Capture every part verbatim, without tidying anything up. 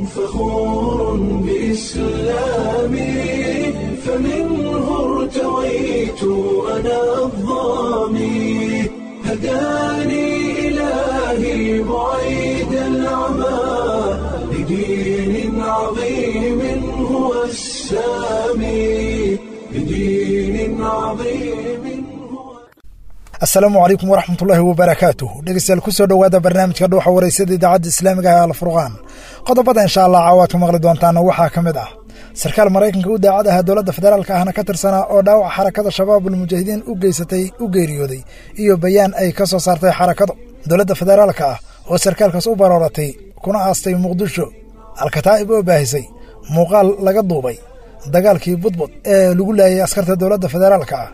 فخور بإسلامي، فمنه ارتويت أنا الظامي، هداني إلهي بعيد العمى لدين عظيم هو السامي، لدين عظيم هو. Asalaamu calaykum waraxmatullaahi wabarakaatuh. Dhegeystayaal, kusoo dhowaada barnaamijka Dhuuxa Wareysada Idaacadda Islaamiga ah Alfurqaan. Qodobada insha Allah caawaad ku maqli doontaana waxaa ka mid ah sarkaal Maraykanka u daacad aha, dowladda federaalka ahna ka tirsanaa, oo dhaawac Xarakada Shabaabul Mujaahidiin u geysatay u geeriyooday, iyo bayaan ay ka soo saartay xarakadu. Dowladda federaalka ah oo sarkaalkaas u barooratay kuna aastay Muqdisho. Alkataa'ib oo baahisay muuqaal laga duubay dagaalkii Budbud ee lagu laayay askarta dowladda federaalka ah.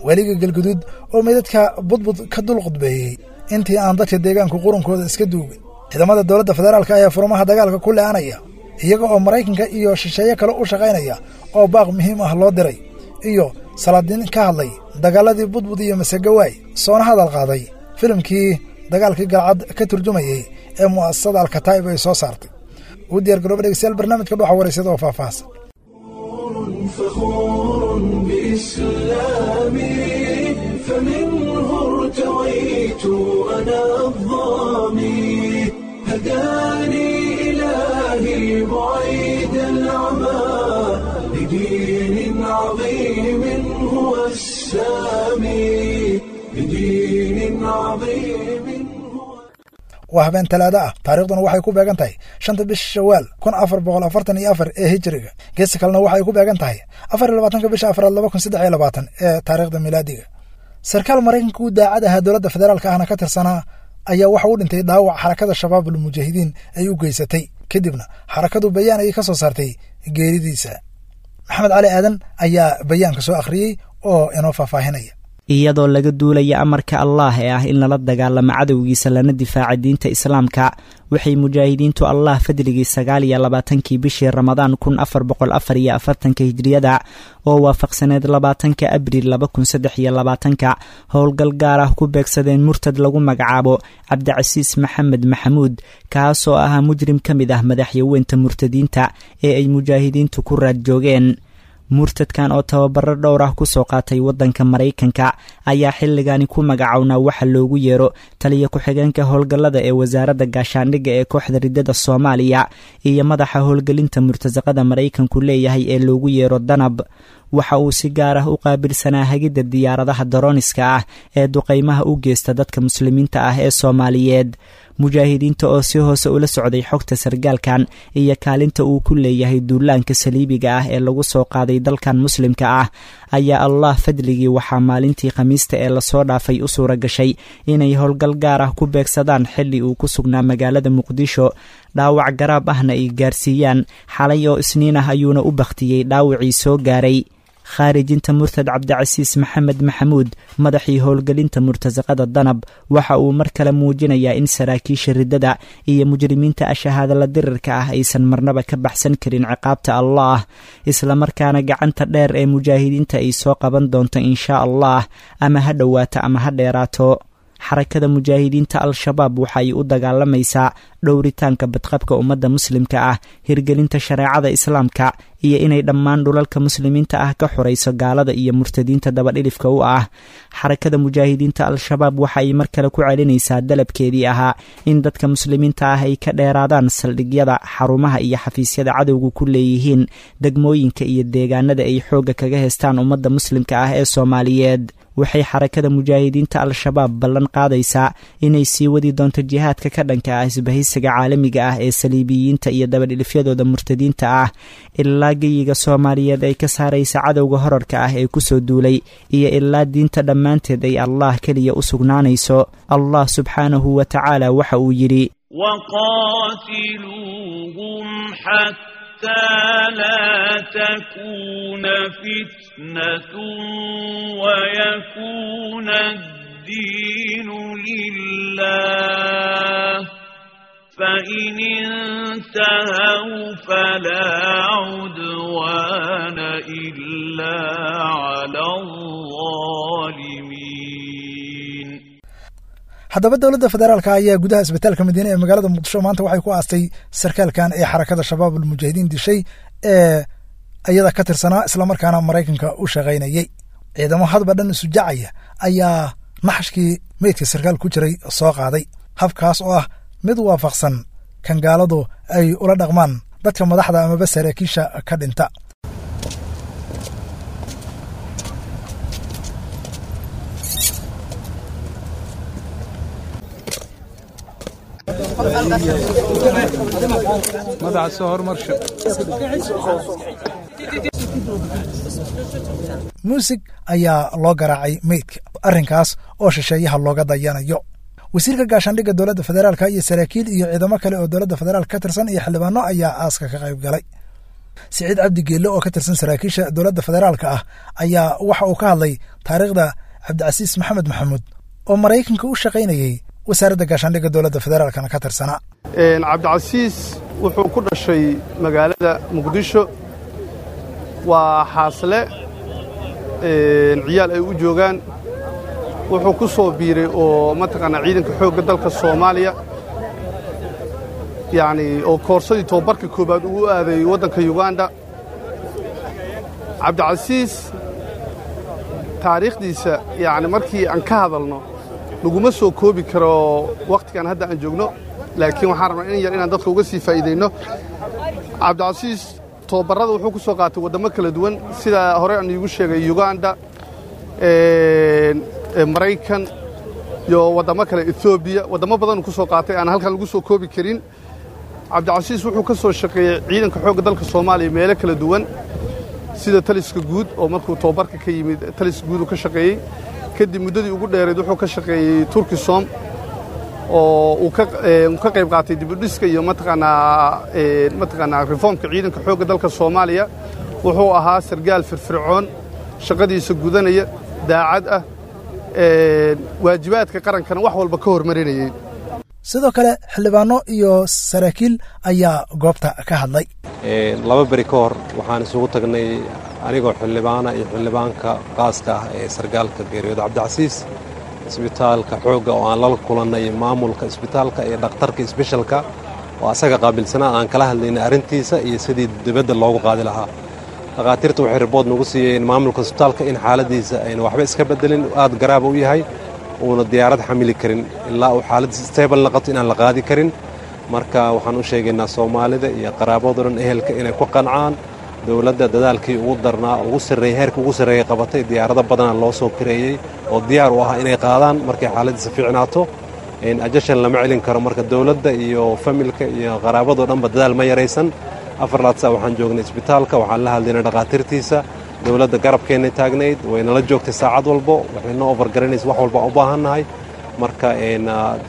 Weliga Galguduud oo meydadka Budbud ka dul qudbeeyey intii aan dadka deegaanku qurunkooda iska duugin. Ciidamada dowladda federaalka ayaa furmaha dagaalka ku le'anaya iyaga oo Maraykanka iyo shisheeye kale u shaqaynaya oo baaq muhiim ah loo diray, iyo salaadiin ka hadlay dagaaladii Budbud iyo Masegawaay, soona hadal qaaday filimkii dagaalkii Galcad ka turjumayey ee mu'asasada Alkataa'ib ay soo saartay. U diyaar garooba dhegeystayaal barnaamijka Dhuuxa Wareysada oo faahfaahsan. فخور بإسلامي، فمنه ارتويت أنا الظامي، هداني إلهي بعيد العمى لدين عظيم هو السامي، لدين عظيم هو. Waa habeen Talaado ah, taariikhduna waxay ku beegan tahay shanta bisha Shawaal kun afar boqol afartan iyo afar ee Hijriga. Geesta kalena waxay ku beegan tahay afar iyo labaatanka bisha afraad laba kun saddex iyo labaatan ee taariikhda milaadiga. Sarkaal Maraykanka u daacad ahaa, dowladda federaalka ahna ka tirsanaa, ayaa waxa uu dhintay dhaawac Xarakada Shabaabul Mujaahidiin ay u geysatay, kadibna xarakadu bayaan ayay ka soo saartay geeridiisa. Maxamed Cali Aadan ayaa bayaanka soo akhriyey oo inoo faahfaahinaya. Iyadoo laga duulaya amarka Allah ee ah in lala dagaalamo cadowgiisa lana difaaca diinta Islaamka, waxay mujaahidiintu Allah fadligii sagaal iyo labaatankii bishii Ramadaan kun afar boqol afar iyo afartanka Hijriyada oo waafaqsaneed labaatanka Abriil laba kun saddex iyo labaatanka howlgal gaar ah ku beegsadeen murtad lagu magacaabo Cabdicasiis Maxamed Maxamuud, kaasoo ahaa mujrim ka mid ah madaxyaweynta murtadiinta ee ay mujaahidiintu ku raad joogeen. Murtadkan oo tababaro dhowr ah kusoo qaatay waddanka Maraykanka ayaa xilligani ku magacownaa waxa loogu yeero taliya ku-xigeenka howlgallada ee wasaaradda gaashaandhigga ee kooxda Riddada Soomaaliya iyo madaxa howlgelinta murtasaqada Maraykanku leeyahay ee loogu yeero Danab. Waxa uu si gaar ah u qaabilsanaa hagidda diyaaradaha darooniska ah ee duqaymaha u geysta dadka muslimiinta ah ee Soomaaliyeed. Mujaahidiinta oo si hoose ula socday xogta sargaalkan iyo kaalinta uu ku leeyahay duulaanka saliibiga ah ee lagu soo qaaday dalkan muslimka ah ayaa Allah fadligii waxaa maalintii Khamiista ee lasoo dhaafay u suura gashay inay howlgal gaar ah ku beegsadaan xilli uu ku sugnaa magaalada Muqdisho, dhaawac garaab ahna ay gaarsiiyaan. Xalay oo Isniin ah ayuuna u bakhtiyey dhaawacii soo gaaray. Khaarijinta murtad Cabdicasiis Maxamed Maxamuud, madaxii howlgelinta murtasaqada Danab, waxa uu mar kale muujinayaa in saraakiisha Riddada iyo mujrimiinta ashahaadala dirirka ah aysan marnaba ka baxsan karin ciqaabta Allah, islamarkaana gacanta dheer ee mujaahidiinta ay soo qaban doonto inshaa Allah, ama ha dhowaato ama ha dheeraato. Xarakada Mujaahidiinta Al-Shabaab waxa ay u dagaalamaysaa dhowritaanka badqabka ummadda muslimka ah, hirgelinta shareecada Islaamka iyo inay dhammaan dhulalka muslimiinta ah ka xorayso gaalada iyo murtadiinta dabadhilifka u ah. Xarakada Mujaahidiinta Al-Shabaab waxa ay mar kale ku celinaysaa dalabkeedii ahaa in dadka muslimiinta ah ay ka dheeraadaan saldhigyada, xarumaha iyo xafiisyada cadowgu ku leeyihiin degmooyinka iyo deegaanada ay xoogga kaga heystaan ummadda muslimka ah ee Soomaaliyeed. Waxay Xarakada Mujaahidiinta Al-Shabaab ballan qaadaysaa inay sii wadi doonto jihaadka ka dhanka ah isbahaysiga caalamiga ah ee saliibiyiinta iyo dabadhilifyadooda murtadiinta ah ilaa geyiga Soomaaliyeed ay ka saaraysa cadowga horarka ah ee kusoo duulay iyo ilaa diinta dhammaanteed ay Allah keliya u sugnaanayso. Allah subxaanahu wa tacaala waxa uu yidhi: وقاتلوهم حتى لا تكون فتنة ويكون الدين لله، فإن انتهوا فلا عدوان إلا على الظالمين. Haddaba dowladda federaalka ayaa gudaha isbitaalka Madiine ee magaalada Muqdisho maanta waxay ku aastay sarkaalkan ee xarakada Shabaab Almujaahidiin dishay ee ayada ka tirsanaa, islamarkaana Maraykanka u shaqaynayey. Ciidamo hadba dhan isujacaya ayaa naxashkii meydka sarkaal ku jiray soo qaaday, habkaas oo ah mid waafaqsan kan gaaladu ay ula dhaqmaan dadka madaxda amaba saraakiisha ka dhinta. Muusig ayaa loo garaacay meydka, arrinkaas oo shisheeyaha looga dayanayo. Wasiirka gaashaandhigga dowladda federaalka iyo saraakiil iyo ciidamo kale oo dowladda federaalka ka tirsan iyo xildhibaano ayaa aaska ka qayb galay. Siciid Cabdi Geelle oo ka tirsan saraakiisha dowladda federaalka ah ayaa waxa uu ka hadlay taariikhda Cabdicasiis Maxamed Maxamuud oo Maraykanka u shaqaynayey, wasaaradda gaashaandhigga dowladda federaalkana ka tirsanaa. Cabdicasiis wuxuu ku dhashay magaalada Muqdisho, waa xaasle, ciyaal ay u joogaan. Wuxuu ku soo biiray oo mataqaanaa ciidanka xoogga dalka Soomaaliya, yacni oo koorsadii tobabarka koowaad ugu aaday waddanka Yuganda. Cabdicasiis taariikhdiisa yacni markii aan ka hadalno laguma soo koobi karo wakhtigan hadda aan joogno, laakiin waxaan rabnaa in yar inaan dadka uga sii faa'iidayno. Cabdicasiis tobabarrada wuxuu ku soo qaatay waddamo kala duwan, sida hore aan iigu sheegay Yuganda, Maraykan iyo waddamo kale, Etoobiya, waddamo badanuu ku soo qaatay aan halkan lagu soo koobi karin. Cabdicasiis wuxuu ka soo shaqeeyey ciidanka xoogga dalka Soomaaliya meelo kala duwan, sida taliska guud oo markuu tobabarka ka yimid taliska guud uu ka shaqeeyey. Kadib muddadii ugu dheerayd wuxuu ka shaqeeyey Turkisom oo uu ka ka qayb qaatay dibudhiska iyo mataqaanaa mataqaanaa reformka ciidanka xoogga dalka Soomaaliya. Wuxuu ahaa sargaal firfircoon, shaqadiisa gudanaya, daacad ah, waajibaadka qarankana wax walba ka hormarinayay. Sidoo kale xildhibaano iyo saraakiil ayaa goobta ka hadlay. Laba beri ka hor waxaan isugu tagnay anigoo xildhibaana iyo xildhibaanka qaaska ah ee sargaalka geeriyooda Cabdicasiis isbitaalka xoogga, oo aan lala kulannay maamulka isbitaalka iyo dhakhtarka isbeshalka oo asaga qaabilsanaa, aan kala hadlaynay arrintiisa iyo sidii dibadda loogu qaadi lahaa. Dhakhaatiirta waxay ribood nagu siiyeen maamulka isbitaalka in xaaladiisa ayna waxba iska bedelin, aad garaaba u yahay, uuna diyaarad xamili karin ilaa uu xaaladiisa stable noqoto inaan la qaadi karin. Marka waxaan u sheegaynaa Soomaalida iyo qaraabado dhan, ehelka, inay ku qancaan dowladda dadaalkii ugu darnaa, ugu sarreeyey, heerka ugu sarreeyey qabatay. Diyaarado badanaa loo soo kareeyey oo diyaar u ah inay qaadaan markay xaaladiisa fiicnaato. Ajashan lama celin karo. Marka dowladda iyo familka iyo qaraabado dhanba dadaal ma yaraysan. Afar laad saa waxaan joognay isbitaalka, waxaan la hadlaynay dhakhaatiirtiisa. Dowladda garabkeennay taagnayd, waynala joogtay saacad walbo, waxay noo ofargaranaysa wax walba u baahannahay. Marka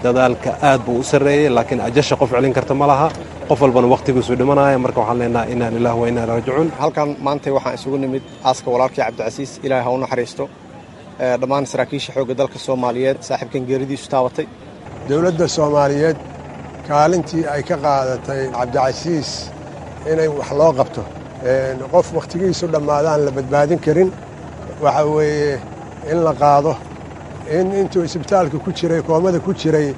dadaalka aad buu u sarreeyey, laakiin ajasha qof celin karta ma laha, qof walbana wakhtigiisu dhimanaya. Marka waxaan leenahay inna lillahi wa inna ilaihi raajicuun. Halkan maantay waxaan isugu nimid aaska walaalkii Cabdicasiis, Ilaahay ha u naxariisto, dhammaan saraakiisha xoogga dalka Soomaaliyeed saaxiibkan geeridiisu taabatay. Dowladda Soomaaliyeed kaalintii ay ka qaadatay Cabdicasiis inay wax loo qabto, qof wakhtigiisu dhammaadaan la badbaadin karin, waxa weeye in la qaado, in intuu isbitaalka ku jiray, koomada ku jiray,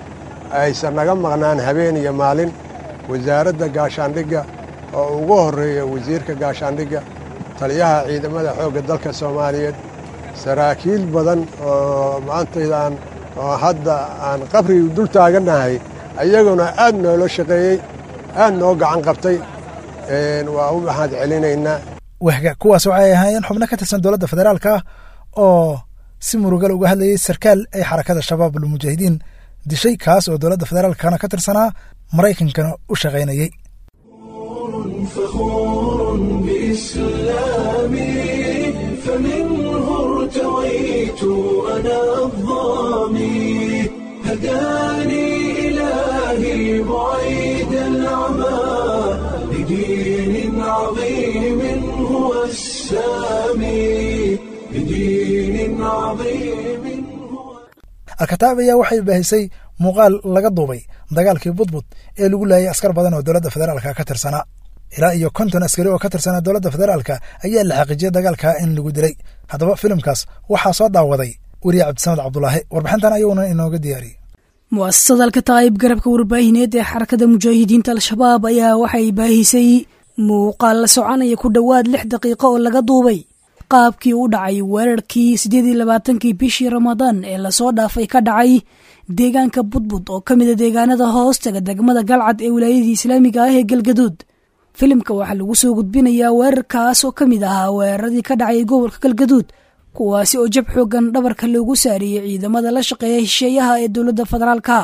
aysan naga maqnaan habeen iyo maalin. Wasaaradda gaashaandhigga oo ugu horreeya wasiirka gaashaandhigga, taliyaha ciidamada xoogga dalka Soomaaliyeed, saraakiil badan oo maantaydaan oo hadda aan qabriga dul taagannahay ayaguna aad noola shaqeeyey, aad noo gacan qabtay, waa u mahad celinaynaa. Wahga kuwaas waxay ahaayeen xubno ka tirsan dowladda federaalka ah oo si murugal uga hadlayay sarkaal ay xarakada Shabaab Almujaahidiin dishay, kaas oo dowladda federaalkana ka tirsanaa, Maraykankana u shaqaynayey. فخور بإسلامي، فمنه ارتويت أنا الظامي، هداني إلهي بعيد العمى لدين عظيم هو السامي، لدين عظيم هو. Alkataab ayaa waxay baahisay muuqaal laga duubay dagaalkii Budbud ee lagu laayay askar badan oo dowladda federaalka ka tirsanaa. Ilaa iyo konton askari oo ka tirsanaa dowladda federaalka ayaa la xaqiijiyay dagaalka in lagu dilay. Haddaba filimkaas waxaa soo daawaday weriye Cabdisamed Cabdulaahi, warbixintan ayuuna inooga diyaariyey. Mu'asasada Alkataa'ib garabka warbaahineed ee xarakada mujaahidiinta Al-Shabaab ayaa waxay baahisay muuqaal la soconaya ku dhowaad lix daqiiqo oo laga duubay qaabkii u dhacay weerarkii siddeed iyo labaatankii bishii Ramadaan ee lasoo dhaafay ka dhacay deegaanka Budbud oo ka mid a deegaanada hoostaga degmada Galcad ee wilaayadii islaamiga ah ee Galgaduud. Filimka waxaa lagu soo gudbinayaa weerarkaas oo ka mid ahaa weeraradii ka dhacay gobolka Galgaduud, kuwaasi oo jab xooggan dhabarka loogu saariyey ciidamada la shaqeeya hesheeyaha ee dowladda federaalka.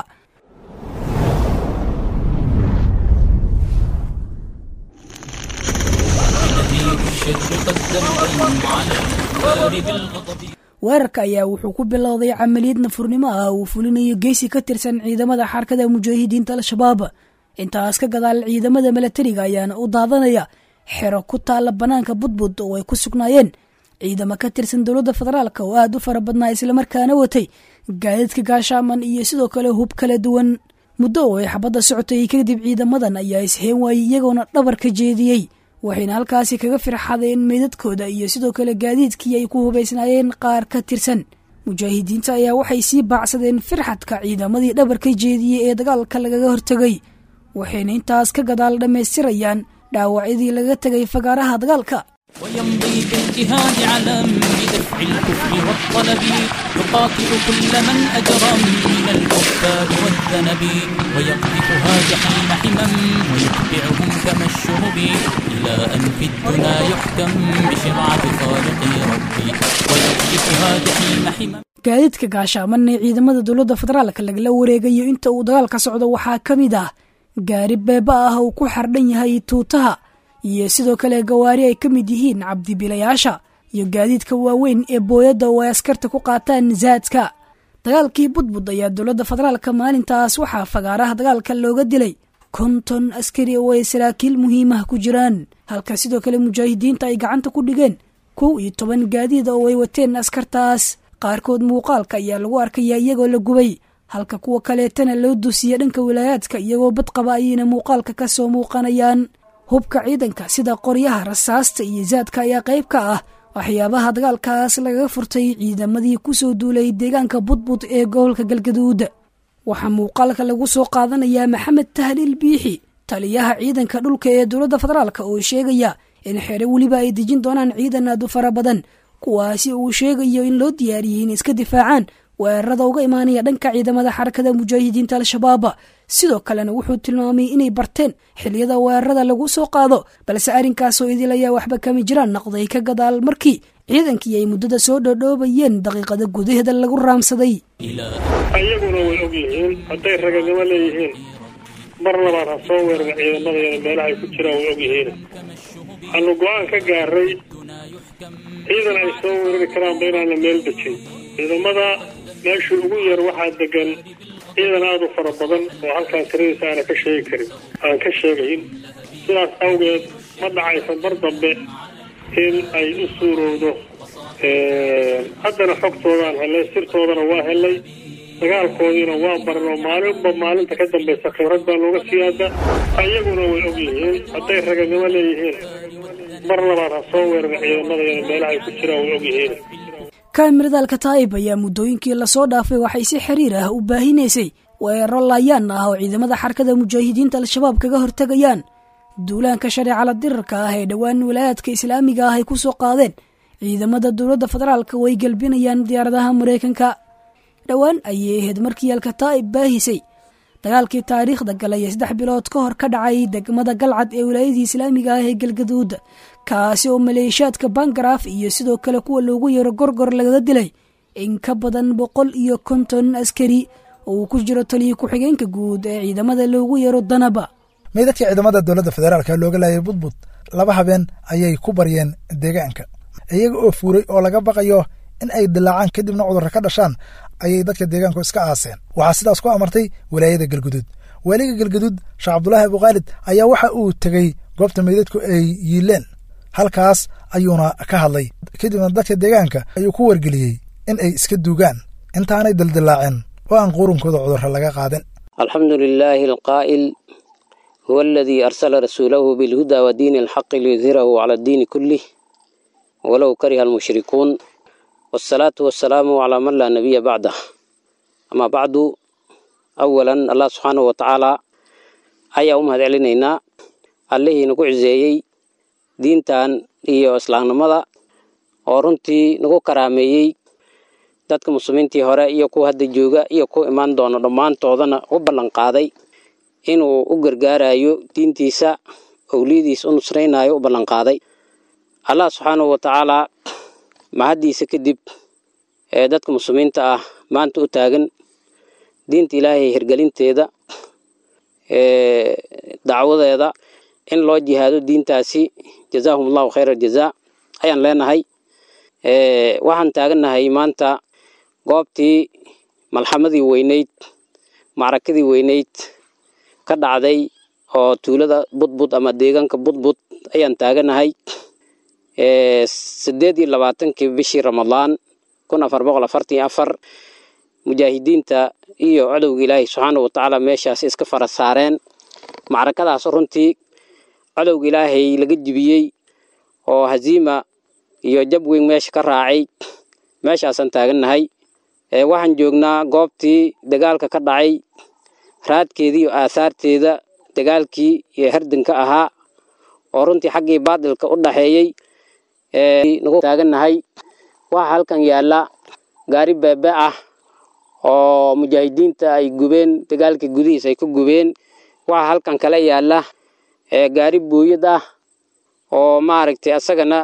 Weerarka ayaa wuxuu ku bilowday camaliyad nafurnimo ah uu fulinayo geesi ka tirsan ciidamada xarakada mujaahidiinta Al-Shabaab. Intaas ka gadaal ciidamada milatariga ayaana u daadanaya xero ku taala bannaanka Budbud oo ay ku sugnaayeen ciidamo ka tirsan dowladda federaalka oo aad u fara badnaa islamarkaana watay gaadiidka gaashaaman iyo sidoo kale hub kala duwan. Muddo oo ay xabadda socotay kadib ciidamadan ayaa isheen waayey iyagoona dhabar ka jeediyey, waxayna halkaasi kaga firxadeen meydadkooda iyo sidoo kale gaadiidkii ay ku hubaysnaayeen qaar ka tirsan. Mujaahidiinta ayaa waxay sii baacsadeen firxadka ciidamadii dhabar ka jeediyey ee dagaalka lagaga hortegay, waxayna intaas ka gadaal dhammaystirayaan dhaawacyadii laga tegay fagaaraha dagaalka. ويمضي بالجهاد علم بدفع الكفر والطلب، يقاتل كل من أجرم من الكفار والذنب، ويقذفها جحيم حمم ويتبعهم كما الشهب، إلى أن في الدنا يحكم بشرعة خالق ربي، ويقذفها جحيم حمم. Gaadiidka gaashaaman ee ciidamada dowladda federaalka lagala wareegayo inta uu dagaalka socdo waxaa ka mid ah gaari beeba ah uu ku xardhan yahay tuutaha iyo sidoo kale gawaari ay ka mid yihiin cabdibilayaasha iyo gaadiidka waaweyn ee booyadda oo ay askarta ku qaataan zaadka. Dagaalkii Budbud ayaa dowladda federaalka maalintaas waxaa fagaaraha dagaalka looga dilay konton askari oo ay saraakiil muhiimah ku jiraan, halka sidoo kale mujaahidiinta ay gacanta ku dhigeen kow iyo toban gaadiid oo ay wateen askartaas. Qaarkood muuqaalka ayaa lagu arkayaa iyagoo la gubay, halka kuwa kaleetana loo dusiya dhanka wilaayaadka iyagoo badqaba ayayna muuqaalka ka soo muuqanayaan. Hubka ciidanka sida qoryaha, rasaasta iyo zaadka ayaa qayb ka ah waxyaabaha dagaalkaas lagaga furtay ciidamadii ku soo duulay deegaanka Budbud ee gobolka Galgaduud. Waxaa muuqaalka lagu soo qaadanayaa Maxamed Tahliil Biixi, taliyaha ciidanka dhulka ee dowladda federaalka, oo sheegaya in xere weliba ay dejin doonaan ciidan aad u fara badan, kuwaasi uu sheegayo in loo diyaariyey in iska difaacaan weerarada uga imaanaya dhanka ciidamada xarakada mujaahidiinta Al-Shabaab. Sidoo kalena wuxuu tilmaamay inay barteen xilliyada weerarada lagu soo qaado, balse arrinkaasoo idil ayaa waxba kama jiraan noqday ka gadaal markii ciidankii ay muddada soo dhoodhoobayeen daqiiqada gudaheeda lagu raamsaday. Ayaguna way og yihiin hadday raganimo leeyihiin mar labaad ha soo weerara ciidamadayana meelaha ay ku jiraan way og yihiin. Waxaanu go-aan ka gaaray ciidan ay soo weerari karaanba inaan la meel dejin. Ciidamada meeshii ugu yar waxaa degan ciidan aada u fara badan oo halkaan tiradiisa aana ka sheegi karin aan ka sheegayn. Sidaas awgeed ma dhacaysa mar dambe in ay u suurowdo. Haddana xogtoodaan helay, sirtoodana waa helay, dagaalkoodiina waa baran oo maalinba maalinta ka dambaysa khibrad baa looga siyaada. Ayaguna way og yihiin hadday raganimo leeyihiin mar labaad ha soo weerara ciidamadayana meelaha ay ku jiraan way og yihiin. Kaamirada Alkataa'ib ayaa muddooyinkii lasoo dhaafay waxay si xiriir ah u baahinaysay weeraro laayaan ah oo ciidamada xarakada mujaahidiinta Al-Shabaab kaga hortegayaan duulaanka shareecada dirarka ah ee dhowaan walaayaadka islaamiga ah ay ku soo qaadeen ciidamada dowladda federaalka oo ay galbinayaan diyaaradaha Mareykanka. Dhowaan ayay ahayd markii Alkataa'ib baahisay dagaalkii taariikhda galay ee saddex bilood ka hor ka dhacay degmada Galcad ee wilaayadii islaamiga ah ee Galgaduud, kaasi oo maleeshiyaadka Bangaraaf iyo sidoo kale kuwa loogu yeero gorgor lagaga dilay in ka badan boqol iyo konton askari oo uu ku jiro taliya ku-xigeenka guud ee ciidamada loogu yeero Danaba. Meydadkii ciidamada dowladda federaalka looga laayay Budbud laba habeen ayay ku baryeen deegaanka, iyaga oo fuuray oo laga baqayo in ay dilaacaan kadibna cudurro ka dhashaan ayay dadka deegaanku iska aaseen. Waxaa sidaas ku amartay walaayada Galguduud. Waaliga Galguduud Sheekh Cabdulaahi Abukhaalid ayaa waxa uu tegey goobta meydadku ay yiileen, halkaas ayuuna ka hadlay. Kadibna dadka deegaanka ayuu ku wargeliyey in ay iska duugaan intaanay dildilaacin oo aan qurunkooda cudurro laga qaadin. Alxamdu lilaahi alqaa'il huwa aladii arsala rasuulahu bilhudaa wa diini alxaqi liyudhirahu cala addiini kullih walow kariha almushrikuun wasalaatu wasalaamu calaa man laa nabiya bacdah amaa bacdu. Awalan Allah subxaanahu wa tacaala ayaa u mahad celinaynaa, allihii nagu ciseeyey diintan iyo islaamnimada oo runtii nagu karaameeyey dadka muslimiintii hore iyo kuwa hadda jooga iyo kuwa imaan doona dhammaantoodana u ballan qaaday inuu u gargaarayo diintiisa, owliyadiisa u nusraynayo u ballan qaaday. Allah subxaanahu wa tacaala mahaddiisa kadib ee dadka muslimiinta ah maanta u taagan diinta Ilaahay hirgelinteeda, ee dacwadeeda in loo jihaado diintaasi, jazaahumullahu khayra jazaa ayaan leenahay. Ee waxaan taagannahay maanta goobtii malxamadii weyneyd, macrakadii weyneyd ka dhacday oo tuulada Budbud ama deegaanka Budbud ayaan taaganahay. Ee sideed iyo labaatankii bishii Ramadaan kun afar boqol afartan iyo afar mujaahidiinta iyo cadowga Ilaahay subxaanahu wa tacaala meeshaas iska fara saareen. Macrakadaas runtii cadowga Ilaahay laga jibiyey oo haziima iyo jab weyn meesha ka raacay, meeshaasaan taagannahay. Ee waxaan joognaa goobtii dagaalka ka dhacay, raadkeedii iyo aasaarteeda dagaalkii iyo hardanka ahaa oo runtii xaggii baadilka u dhaxeeyey ee nagu taagannahay. Waxaa halkan yaalla gaari beebe ah oo mujaahidiinta ay gubeen, dagaalkii gudihiisa ay ku gubeen. Waxaa halkan kale yaalla ee gaari booyad ah oo maaragtay asagana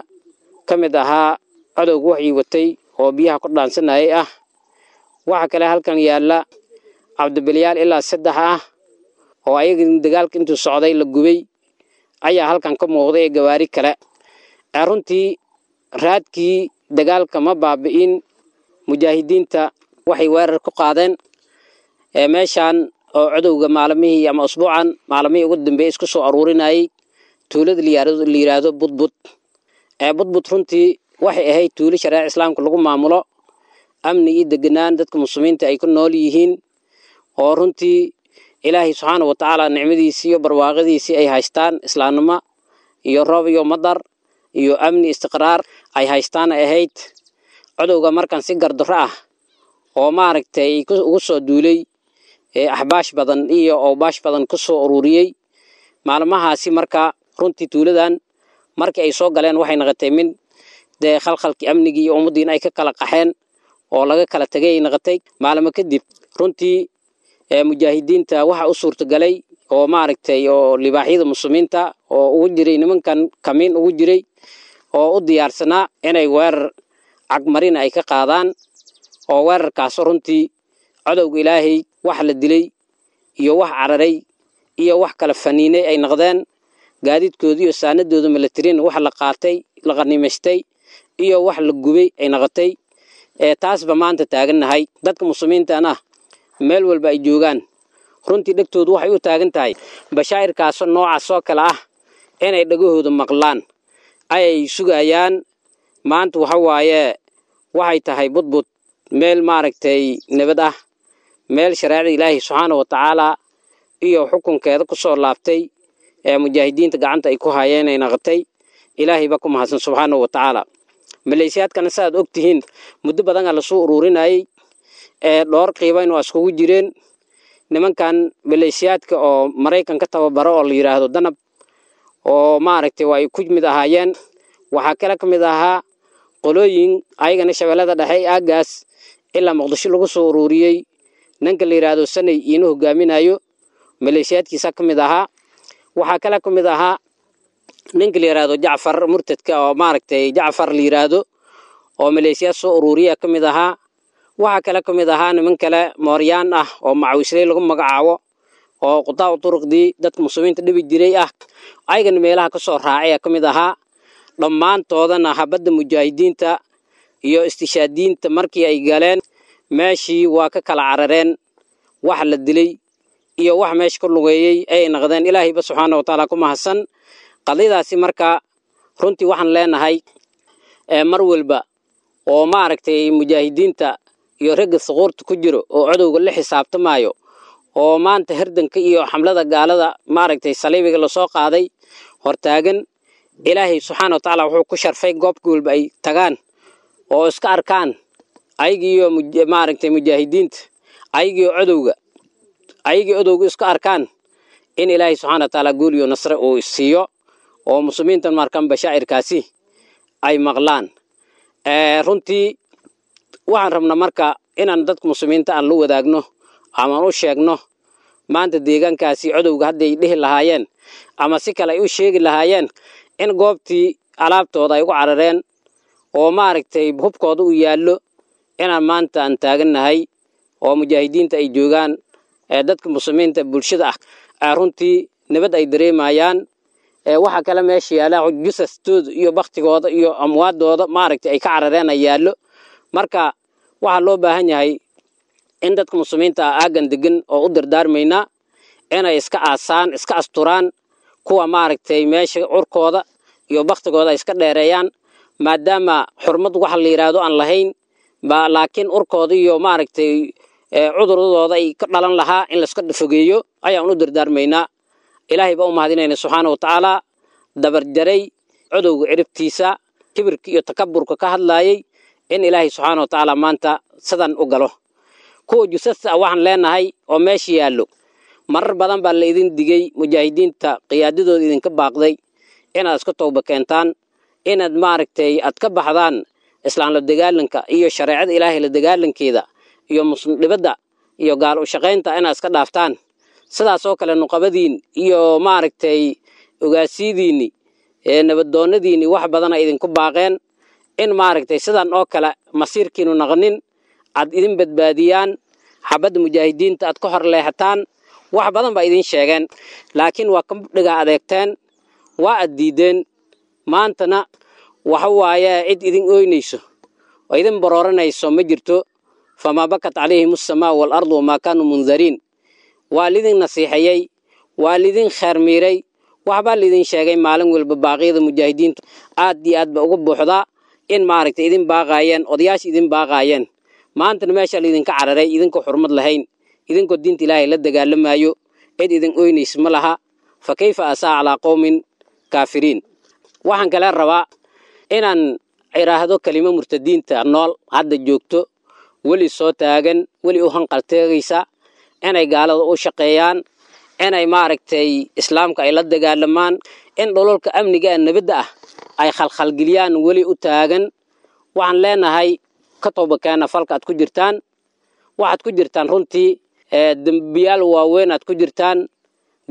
ka mid ahaa cadowga waxii watay oo biyaha ku dhaansanayay ah. Waxaa kale halkan yaalla cabdibilyaal ilaa saddex ah oo ayaga dagaalka intuu socday la gubay ayaa halkan ka muuqday ee gawaari kale. Runtii raadkii dagaalka ma baabi'in, mujaahidiinta waxay weerar ku qaadeen ee meeshan oo cadowga maalmihii ama usbuucan maalmihii ugu dambeeyay isku soo aruurinayay tuulada la yiraahdo Budbud. Ee Budbud runtii waxay ahayd tuulo shareeca islaamka lagu maamulo, amni iyo deganaan dadka muslimiinta ay ku nool yihiin oo runtii Ilaahay subxaanahu wa tacaala nicmadiisii iyo barwaaqadiisii ay haystaan, islaamnimo iyo roob iyo madar iyo amni istiqraar ay haystaan ay ahayd. Cadowga markan si gardarro ah oo maaragtay ugu soo duulay ee axbaash badan iyo awbaash badan ku soo ururiyey maalmahaasi. Marka runtii tuuladan markii ay soo galeen waxay noqotay min dee khalkhalkii amnigii iyo ummaddiina ay ka kala qaxeen oo laga kala tagay ay noqotay. Maalmo kadib runtii ee mujaahidiinta waxa u suurtagalay oo maaragtay oo libaaxyada muslimiinta oo ugu jiray nimankan kamiin ugu jiray oo u diyaarsanaa inay weerar cagmarina ay ka qaadaan, oo weerarkaas runtii cadowga Ilaahay wax la dilay iyo wax cararay iyo wax kala faniinay ay noqdeen. Gaadiidkooda iyo saanadooda militariin wax la qaatay, la qanimaystay iyo wax la gubay ay noqotay. Ee taasba maanta taagannahay. Dadka muslimiintana meel walba ay joogaan runtii dhegtoodu waxay u taagan tahay bashaa'irkaas noocaas oo kale ah inay dhagahooda maqlaan ayay sugayaan. Maanta waxa waaye waxay tahay Budbud meel maaragtay nabad ah, meel shareecada Ilaahay subxaanahu wa tacaala iyo xukunkeeda ku soo laabtay ee mujaahidiinta gacanta ay ku hayeen ay noqotay. Ilaahay ba ku mahadsan subxaanahu wa tacaala. Maleeshiyaadkana saaad og tihiin muddo badan la soo ururinayay ee dhowr qiibayn oo iskugu jireen nimankan maleeshiyaadka oo Maraykanka tababaro oo la yiraahdo danab oo maaragtay way ku mid ahaayeen. Waxaa kale ka mid ahaa qolooyin ayagana shabeellada dhexe aagaas ilaa Muqdisho lagu soo ururiyey, ninka la yiraahdo Sanay inuu hogaaminayo maleeshiyaadkiisa ka mid ahaa. Waxaa kale ka mid ahaa ninka la yiraahdo Jacfar murtadka oo maaragtay Jacfar la yiraahdo oo maleeshiyaad soo ururiya ka mid ahaa. Waxaa kale ka mid ahaa niman kale mooryaan ah oo macawisley lagu magacaabo oo qudaa turuqdii dadka muslimiinta dhibi jiray ah, ayagana meelaha ka soo raacay ka mid ahaa. Dhammaantoodana habadda mujaahidiinta iyo istishaadiinta markii ay galeen meeshii waa ka kala carareen, wax la dilay iyo wax meesha ku lugeeyey ay noqdeen. Ilaahayba subxaana wa tacaala ku mahadsan qadiyadaasi. Marka runtii waxaan leenahay mar walba oo maaragtay mujaahidiinta iyo ragga suquurta ku jiro oo cadowga la xisaabtamayo oo maanta herdanka iyo xamlada gaalada maaragtay saliibiga lasoo qaaday hortaagan, Ilaahay subxaana wa tacaala wuxuu ku sharfay goobka walba ay tagaan oo iska arkaan ayagiiyo maaragtay mujaahidiinta ayagiiyo cadowga Ayagii odowga isku arkaan in Ilaahay subxaana wa tacaala guul iyo nasre uu siiyo oo muslimiintan markan bashaa'irkaasi ay maqlaan. Runtii waxaan rabnaa marka inaan dadka muslimiinta aan la wadaagno ama u sheegno maanta deegaankaasi codowga hadday dhihi lahaayeen ama si kale ay u sheegi lahaayeen in goobtii alaabtooda ay ugu carareen oo maaragtay hubkooda u yaallo inaan maanta aan taagannahay oo mujaahidiinta ay joogaan dadka muslimiinta bulshada ah runtii nabad ay dareemayaan. Waxa kale meesha yaala jusastooda iyo baktigooda iyo amwaadooda maaragtay ay ka carareen ay yaallo. Marka waxaa loo baahan yahay in dadka muslimiinta ah aaggan degan oo u dardaarmaynaa inay iska aasaan, iska asturaan kuwa maaragtay meesha curkooda iyo baktigooda ay iska dheereeyaan, maadaama xurmad waxa la yidhaahdo aan lahayn ba, laakiin urkooda iyo maaragtay cuduradooda ay ka dhalan lahaa in laiska fogeeyo ayaan u dardaarmaynaa. Ilaahay baa u mahadinayna subxaana wa tacaala dabarjaray codowga ciribtiisa kibirka iyo takaburka ka hadlaayay in Ilaahay subxaana wa tacaala maanta sidan u galo. Kuwa jusasta ah waxaan leenahay oo meesha yaallo marar badan baa la idin digay, mujaahidiinta qiyaadadooda idinka baaqday inaad iska tooba keentaan, inaad maaragtay aad ka baxdaan islaan la dagaalanka iyo shareecada Ilaahay la dagaalankeeda iyo muslim dhibada iyo gaal u shaqaynta inaad iska dhaaftaan. Sidaas oo kale nuqabadiin iyo maaragtay ogaasidiinni ee nabadoonnadiinni wax badan ay idinku baaqeen in maaragtay sidan oo kale masiirkiinu naqnin aad idin badbaadiyaan, xabadda mujaahidiinta aad ka hor leexataan. Wax badan baa idin sheegeen, laakiin waa ka dhiga adeegteen, waa aad diideen. Maantana waxa waaye cid idin ooynayso oo idin barooranayso ma jirto. Famaa bakat calayhim assamaa waalardu wamaa kaanuu mundariin. Waa lidin nasiixeeyey, waa lidin kheermiiray, waxbaa lidin sheegay. Maalin walba baaqyada mujaahidiintu aad iyo aad ba uga buuxdaa in maaragtay idin baaqaayeen, odayaasha idin baaqaayeen. Maantana meesha laydinka cararay idinkoo xurmad lahayn, idinkoo diinta Ilaahay la dagaalamayo, cid idin ooynaysa ma laha. Fa kayfa asaa calaa qowmin kaafiriin. Waxaan kale rabaa inaan iraahdo kelimo murtadiinta nool hadda joogto, weli soo taagan, weli u hanqalteegaysa inay gaalada u shaqeeyaan, inay maaragtay islaamka ay la dagaalamaan, in dhololka amniga ee nabadda ah ay khalkhalgeliyaan weli u taagan. Waxaan leenahay ka tooba keena falka aad ku jirtaan. Waxaad ku jirtaan runtii dembiyaal waaweyn aad ku jirtaan,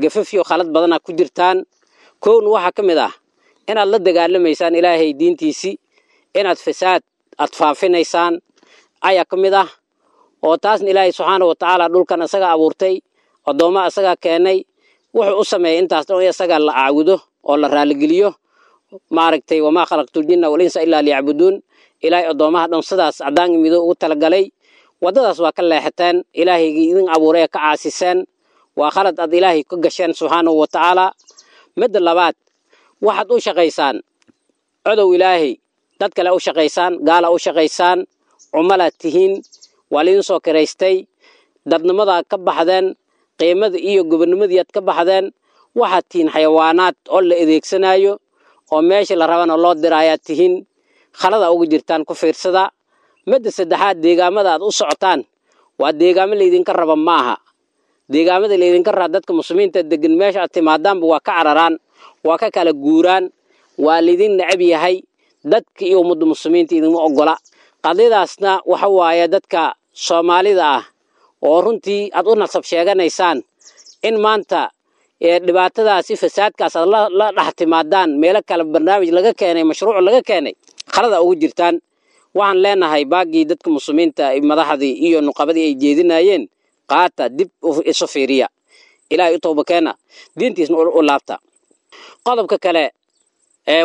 gafafyo khalad badan aad ku jirtaan. Kowna waxaa ka mid ah inaad la dagaalamaysaan Ilaahay diintiisii, inaad fasaad aad faafinaysaan ayaa ka mid ah, oo taasna Ilaahay subxaana wa tacaala dhulkan isaga abuurtay, addoomma isagaa keenay, wuxuu u sameeyey intaas dhan in isaga la caabudo oo la raaligeliyo maaragtay. Wamaa khalaqtul jinna wal insa illaa liyacbuduun. Ilaahay addoommaha dhan sidaas caddaan mido ugu talagalay. Waddadaas waa ka leexateen, Ilaahaygii idin abuuray ka caasiseen. Waa khalad aad Ilaahay ka gasheen subxaanahu wa tacaala. Midda labaad, waxaad u shaqaysaan codow Ilaahay, dad kale u shaqaysaan, gaala u shaqaysaan, cumalaad tihiin, waa laidin soo kiraystay. Dadnimadaad ka baxdeen, qiimada iyo gobonimadiiaad ka baxdeen. Waxaad tihiin xayawaanaad oo la adeegsanayo oo meesha la rabana loo diraayaad tihiin. Khalada uga jirtaan ku fiirsada. Midda saddexaad, deegaamada aad u socotaan waa deegaamo laydinka raba ma aha. Deegaamada laydinka raba dadka muslimiinta degan meesha aad timaadaanba waa ka cararaan, waa ka kala guuraan, waa laydin necab yahay. Dadka iyo ummadda muslimiinta idinma ogola. Qadiyadaasna waxa waaye dadka Soomaalida ah oo runtii aad u nasab sheeganaysaan in maanta dhibaatadaasi fasaadkaas aad la dhex timaadaan meelo kale, barnaamij laga keenay, mashruuc laga keenay, khalada ugu jirtaan. Waxaan leenahay baagii dadka muslimiinta madaxdii iyo nuqabadii ay jeedinayeen qaata, dib isu fiiriya, Ilaahay u tooba keena, diintiisna u laabta. Qodobka kale,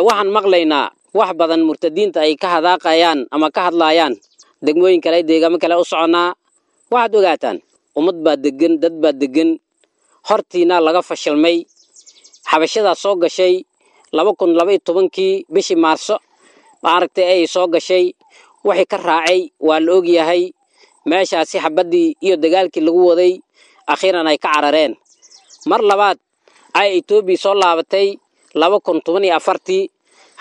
waxaan maqlaynaa wax badan murtadiinta ay ka hadaaqayaan ama ka hadlaayaan degmooyin kale, deegaamo kale u soconaa. Waxaad ogaataan ummad baa degan, dad baa degan, hortiina laga fashilmay. Xabashadaa soo gashay laba kun laba iyo tobankii bishii Maarso maaragtay ay soo gashay, wixii ka raacay waa la ogyahay. Meeshaasi xabaddii iyo dagaalkii lagu waday akhiiran ay ka carareen. Mar labaad ay Etoobiya soo laabatay laba kun toban iyo afartii.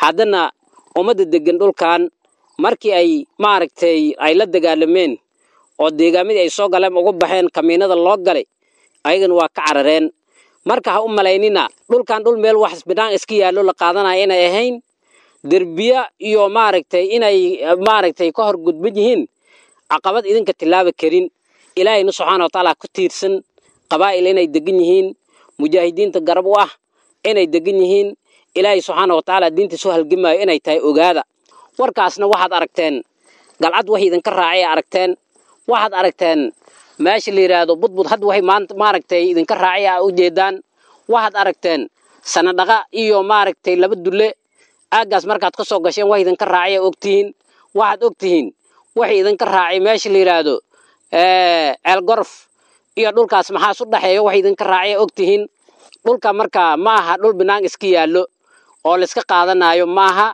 Haddana ummadda degan dhulkan markii ay maaragtay ay la dagaalameen oo deegaamadii ay soo galeen uga baxeen, kamiinada loo galay Ayagana waa ka carareen. Marka ha u malaynina dhulkan dhul meel wax bidhaan iska yaallo la qaadanaya inay ahayn, derbiya iyo maaragtay inay maaragtay ka hor gudban yihiin caqabad idinka tillaaba karin. Ilaahayna subxaana watacaala ku tiirsan qabaa'il inay degan yihiin, mujaahidiinta garab u ah inay degan yihiin, Ilaahay subxaana watacaala diintiisu halgamaayo inay tahay ogaada. Warkaasna waxaad aragteen Galcad waxay idinka raacay aragteen, waxaad aragteen meesha la yidhaahdo Budbud hadda waxay maanta maaragtay idinka raacay aa u jeedaan, waxaad aragteen Sanadhaqa iyo maaragtay laba dulle aaggaas markaad ka soo gasheen wax idinka raacay aa ogtihiin, waxaad ogtihiin waxay idinka raacay meesha la yidhaahdo Ceelgorof iyo dhulkaas maxaas u dhaxeeyo wax idinka raacay aa ogtihiin. Dhulka marka ma aha dhul binaan iska yaallo oo la iska qaadanayo maaha.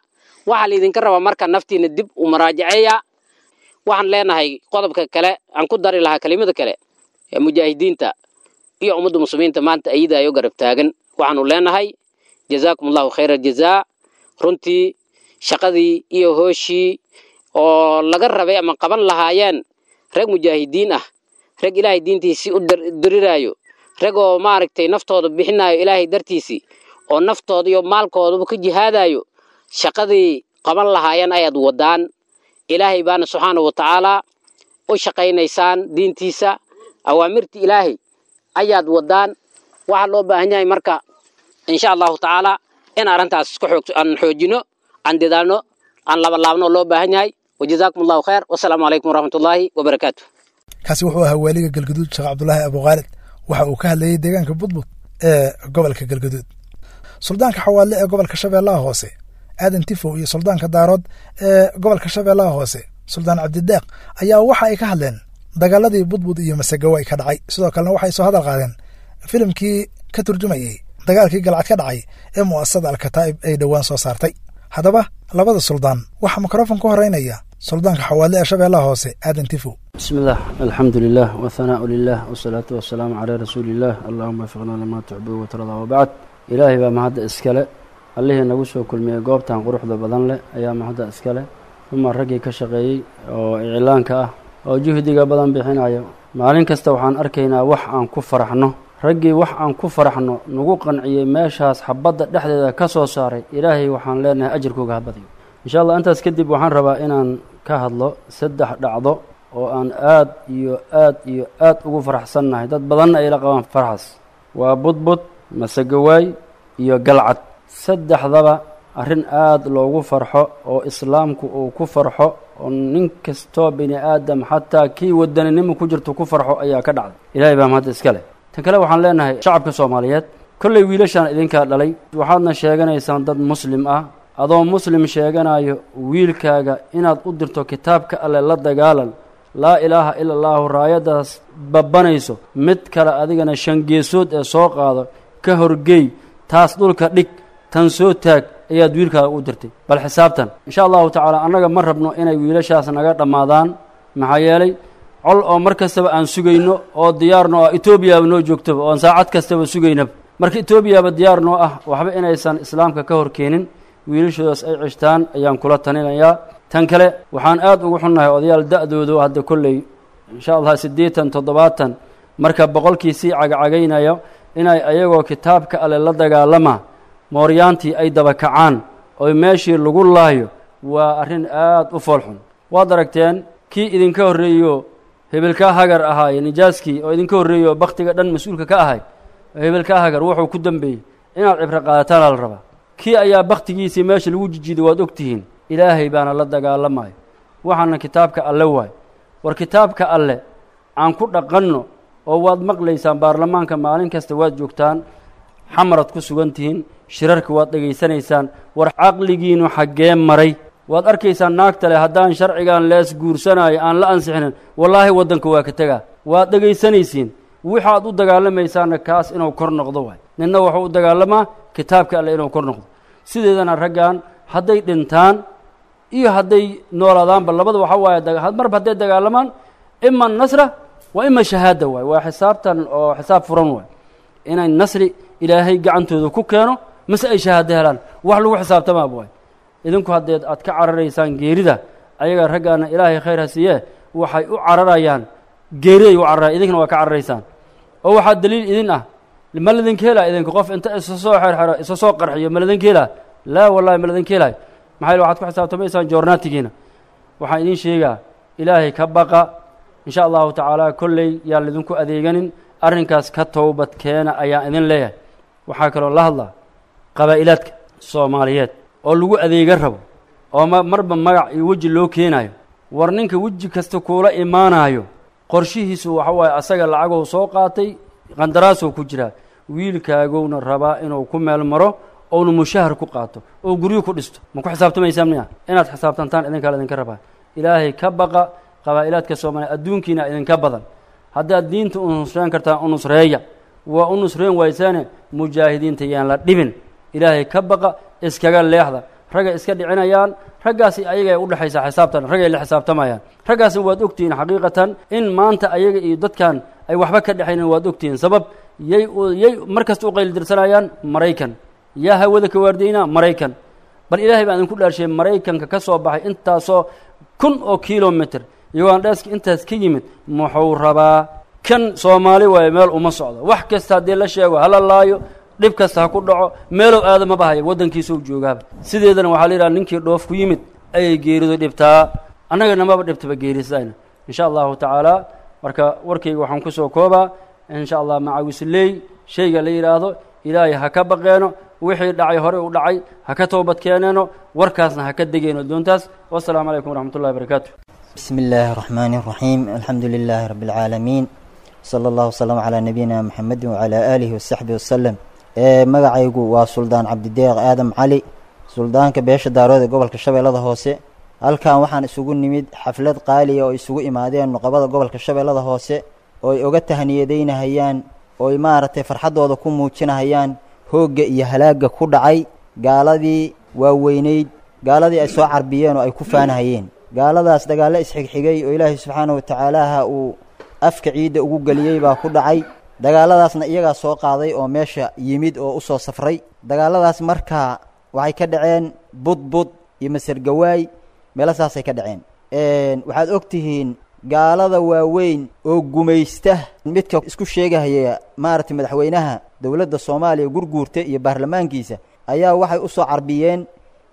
Waxaa la idinka rabaa marka naftiina dib u maraajaceeya. Waxaan leenahay qodobka kale aan ku dari lahaa kelimada kale ee mujaahidiinta iyo ummadda muslimiinta maanta ayadaayo garab taagan, waxaanu leenahay jazaakum allahu khayra jazaa. Runtii shaqadii iyo hooshii oo laga rabay ama qaban lahaayeen rag mujaahidiin ah, rag Ilaahay diintiisii u diriraayo, rag oo maaragtay naftooda bixinayo Ilaahay dartiisii oo naftooda iyo maalkoodaba ka jihaadayo, shaqadii qaban lahaayeen ayaad wadaan. Ilaahay baana subxaana wa tacaala u shaqaynaysaan diintiisa, awaamirta Ilaahay ayaad wadaan. Waxaa loo baahan yahay marka insha allahu tacaala in arrintaas isku xoog aan xoojino, aan dadaalno, aan labalaabno loo baahan yahay. Wajazaakum allahu khayr, wasalaamu calaykum waraxmatullaahi wabarakaatu. Kaasi wuxuu ahaa waaliga Galgaduud Sheekh Cabdulaahi Abukhaalid. Waxa uu ka hadlayey deegaanka Budbud ee gobolka Galgaduud. Suldaanka Xawaadle ee gobolka Shabeellaha Hoose Aadan Tifow iyo suldaanka Daarood ee gobolka Shabeellaha Hoose Suldaan Cabdideeq ayaa waxa ay ka hadleen dagaaladii Budbud iyo Masagawaay ka dhacay. Sidoo kalena waxay soo hadal qaadeen filimkii ka turjumayey dagaalkii Galcad ka dhacay ee mu'asasada Alkataa'ib ay dhowaan soo saartay. Haddaba labada suldaan waxaa mikrofon ku horeynaya suldaanka Xawaadle ee Shabeellaha Hoose Aadan Tifow. بسم الله، الحمد لله والثناء لله والصلاة والسلام على رسول الله، اللهم وفقنا لما تحب وترضى وبعد. إلهي baa mahadda iskale, allihii nagu soo kulmiyey goobtan quruxda badan leh ayaa mahadda iskale, uma raggii ka shaqeeyey oo iclaanka ah oo juhdiga badan bixinayo. Maalin kasta waxaan arkaynaa wax aan ku faraxno, raggii wax aan ku faraxno nagu qanciyey meeshaas xabadda dhexdeeda ka soo saaray. Ilaahay waxaan leenahay ajirkooga ha badiyo insha allah. Intaas kadib waxaan rabaa inaan ka hadlo saddex dhacdo oo aan aad iyo aad iyo aad ugu faraxsannahay, dad badanna ay la qabaan farxas. Waa Budbud, Masagawaay iyo Galcad. Saddexdaba arrin aad loogu farxo oo islaamku uu ku farxo oo nin kastoo bini aadam xataa kii wadaninimo ku jirto ku farxo ayaa ka dhacday. Ilaahay baa mahadda iska leh. Tan kale waxaan leenahay shacabka Soomaaliyeed, kolley wiilashaan idinkaa dhalay, waxaadna sheeganaysaan dad muslim ah. Adoo muslim sheeganayo wiilkaaga inaad u dirto kitaabka alle la dagaalan, laa ilaaha ila allaahu raayaddaas babbanayso, mid kale adigana shan geesood ee soo qaado ka horgeey, taas dhulka dhig, tan soo taag ayaad wiilkaaga u dirtay. Bal xisaabtan insha allahu tacaala annaga ma rabno inay wiilashaas naga dhammaadaan, maxaa yeelay col oo mar kastaba aan sugayno oo diyaarno ah Etoobiyaba noo joogtaba oon saacad kastaba sugaynaba. Marka Etoobiyaba diyaar noo ah, waxba inaysan islaamka ka hor keenin, wiilashoodaas ay cishtaan ayaan kula talinayaa. Tan kale waxaan aad ugu xunnahay odayaal da'doodu hadda kolley insha allah siddeetan toddobaatan marka boqolkii sii cagacagaynayo inay ayagoo kitaabka alle la dagaalama mooryaantii ay daba kacaan oo meeshii lagu laayo. Waa arrin aad u foolxun. Waad aragteen kii idinka horreeyo hebelkaa hagar ahaaye, nijaaskii oo idinka horreeyo bakhtiga dhan mas-uulka ka ahay, hebelkaa hagar wuxuu ku dambeeyey. Inaad cibro qaadataana la rabaa. Kii ayaa bakhtigiisii meesha lagu jijiiday, waad ogtihiin. Ilaahay baana la dagaalamayo, waxaana kitaabka alle waay. War kitaabka alle aan ku dhaqanno. Oo waad maqlaysaan baarlamaanka maalin kasta waad joogtaan, xamarad ku sugan tihiin, shirarka waad dhegaysanaysaan. War caqligiinu xaggee maray? Waad arkaysaan naagta leh haddaan sharcigan lees guursanayo aan la ansixinin wallaahi waddanka waa ka tegaa. Waad dhegaysanaysiin. Waxaad u dagaalamaysaanna kaas inuu kor noqdo waay. Ninna wuxuu u dagaalamaa kitaabka alle inuu kor noqdo. Sideedana raggan hadday dhintaan iyo hadday noolaadaanba labada waxa waaye, marba hadday dagaalamaan ima nasra wa ima shahaada waay. Waa xisaabtan oo xisaab furan waay, inay nasri ilaahay gacantooda ku keeno mase ay shahaado helaan, wax lagu xisaabtamaaba waay. Idinku haddeed aad ka cararaysaan geerida, ayaga raggaana ilaahay khayr ha siiyee waxay u cararayaan geeriday u cararayan, idinkana waa ka cararaysaan. Oo waxaa daliil idin ah, ma ladinka helaa idinka qof inta isa soo xerxero isa soo qarxiyo? Ma ladinka helaa? Laa wallahi, ma ladinka helaay. Maxaa yeele waxaad ku xisaabtamaysaan joornaatigiina. Waxaan idiin sheegaa, Ilaahay ka baqa, insha Allahu tacaala. Kolley yaan lidinku adeeganin arrinkaas, ka towbad keena ayaan idin leeyahay. Waxaa kaloo la hadlaa qabaa'ilaadka Soomaaliyeed oo lagu adeega rabo, oo ma marba magac iyo weji loo keenayo. War ninka weji kasta kuula imaanayo, qorshihiisu waxa waaye asaga lacagou soo qaatay, qandaraasou ku jiraa, wiilkaagowna rabaa inuu ku meel maro, ouna mushahar ku qaato oo guryo ku dhisto. Ma ku xisaabtamaysaan miya? Inaad xisaabtantaan idinkaa la idinka rabaa. Ilaahay ka baqa, qabaa'ilaadka Soomaaliya, adduunkiina idinka badan. Haddaad diinta u nusreen kartaan, u nusreeya. Waa u nusreen waysaane, mujaahidiinta yaan la dhibin. Ilaahay ka baqa, iskaga leexda. Ragga iska dhicinayaan, raggaasi ayagay u dhexaysaa xisaabtan, raggay la xisaabtamayaan. Raggaasna waad ogtihiin xaqiiqatan in maanta ayaga iyo dadkan ay waxba ka dhexaynin. Waad ogtihiin sabab yay yay mar kasta u qaylidirsanayaan. Maraykan yaa hawada ka waardaynaa, Maraykan. Bal Ilaahay baan idinku dhaarshay, Maraykanka ka soo baxay intaasoo kun oo kilomitr, iyagoon dheeska intaas ka yimid, muxuu rabaa? Kan Soomaali waayo, meel uma socdo. Wax kasta haddii la sheego, hala laayo, dhib kasta ha ku dhaco, meelow aada ma bahaya, waddankiisau joogaaba. Sideedana waxaa la yidhaha, ninkii dhoof ku yimid ayay geeridu dhibtaa, annaga namaba dhibtaba geerisidayna, insha Allahu tacaala. Marka warkayga waxaan ku soo koobaa, insha Allah, macawisley shayga la yidhaahdo, Ilaahay ha ka baqeeno. Wixii dhacay horey u dhacay, ha ka toobad keeneeno, warkaasna ha ka degeeno doontaas. Wasalaamu calaykum waraxmatullahi barakaatu. بسم الله الرحمن الرحيم، الحمد لله رب العالمين، صلى الله وسلم على نبينا محمد وعلى آله وصحبه وسلم. Magacaygu waa Suldaan Cabdideeq Aadam Cali, suldaanka beesha Daarood ee gobolka Shabeellada Hoose. Halkan waxaan isugu nimid xaflad qaaliya oo isugu imaadeen nuqabada gobolka Shabeellada Hoose, oo ay oga tahniyadeynahayaan, oo ay maaragtay farxaddooda ku muujinahayaan hoogga iyo halaagga ku dhacay gaaladii waaweyneyd, gaaladii ay soo carbiyeen oo ay ku faanahayeen. Gaaladaas dagaallo isxigxigay oo Ilaahay subxaana wa tacaalaha uu afka ciidda ugu geliyey baa ku dhacay. Dagaaladaasna iyagaa soo qaaday oo meesha yimid oo u soo safray. Dagaaladaas markaa waxay ka dhaceen Budbud iyo Masargawaay, meelasaasay ka dhaceen. Waxaad og tihiin gaalada waaweyn oo gumaysta, midka isku sheegahaya maaragtay madaxweynaha dowladda Soomaaliya Gurguurta iyo baarlamaankiisa, ayaa waxay u soo carbiyeen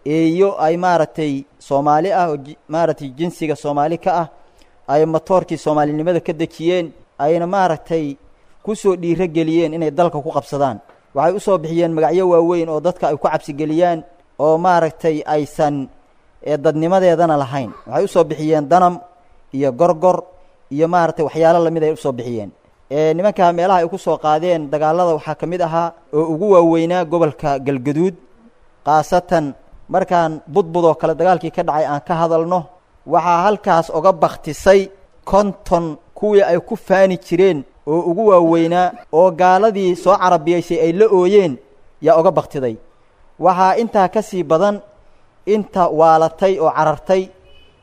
eeyo ay maaragtay Soomaali ah, oo maaragtay jinsiga Soomaali ka ah, ay matoorkii soomaalinimada ka dejiyeen, ayna maaragtay ku soo dhiiro geliyeen inay dalka ku qabsadaan. Waxay u soo bixiyeen magacyo waaweyn oo dadka ay ku cabsigeliyaan, oo maaragtay aysan dadnimadeedana lahayn. Waxay usoo bixiyeen Danam iyo Gorgor iyo maaragtay waxyaalo lamid ay usoo bixiyeen. Nimanka meelaha ay ku soo qaadeen dagaalada waxaa ka mid ahaa oo ugu waaweynaa gobolka Galgaduud, khaasatan markaan Budbud oo kale dagaalkii ka dhacay aan ka hadalno. Waxaa halkaas oga baktisay konton kuwii ay ku faani jireen oo ugu waaweynaa, oo gaaladii soo carabiyaysay ay la ooyeen, yaa oga baktiday. Waxaa intaa ka sii badan inta waalatay oo carartay,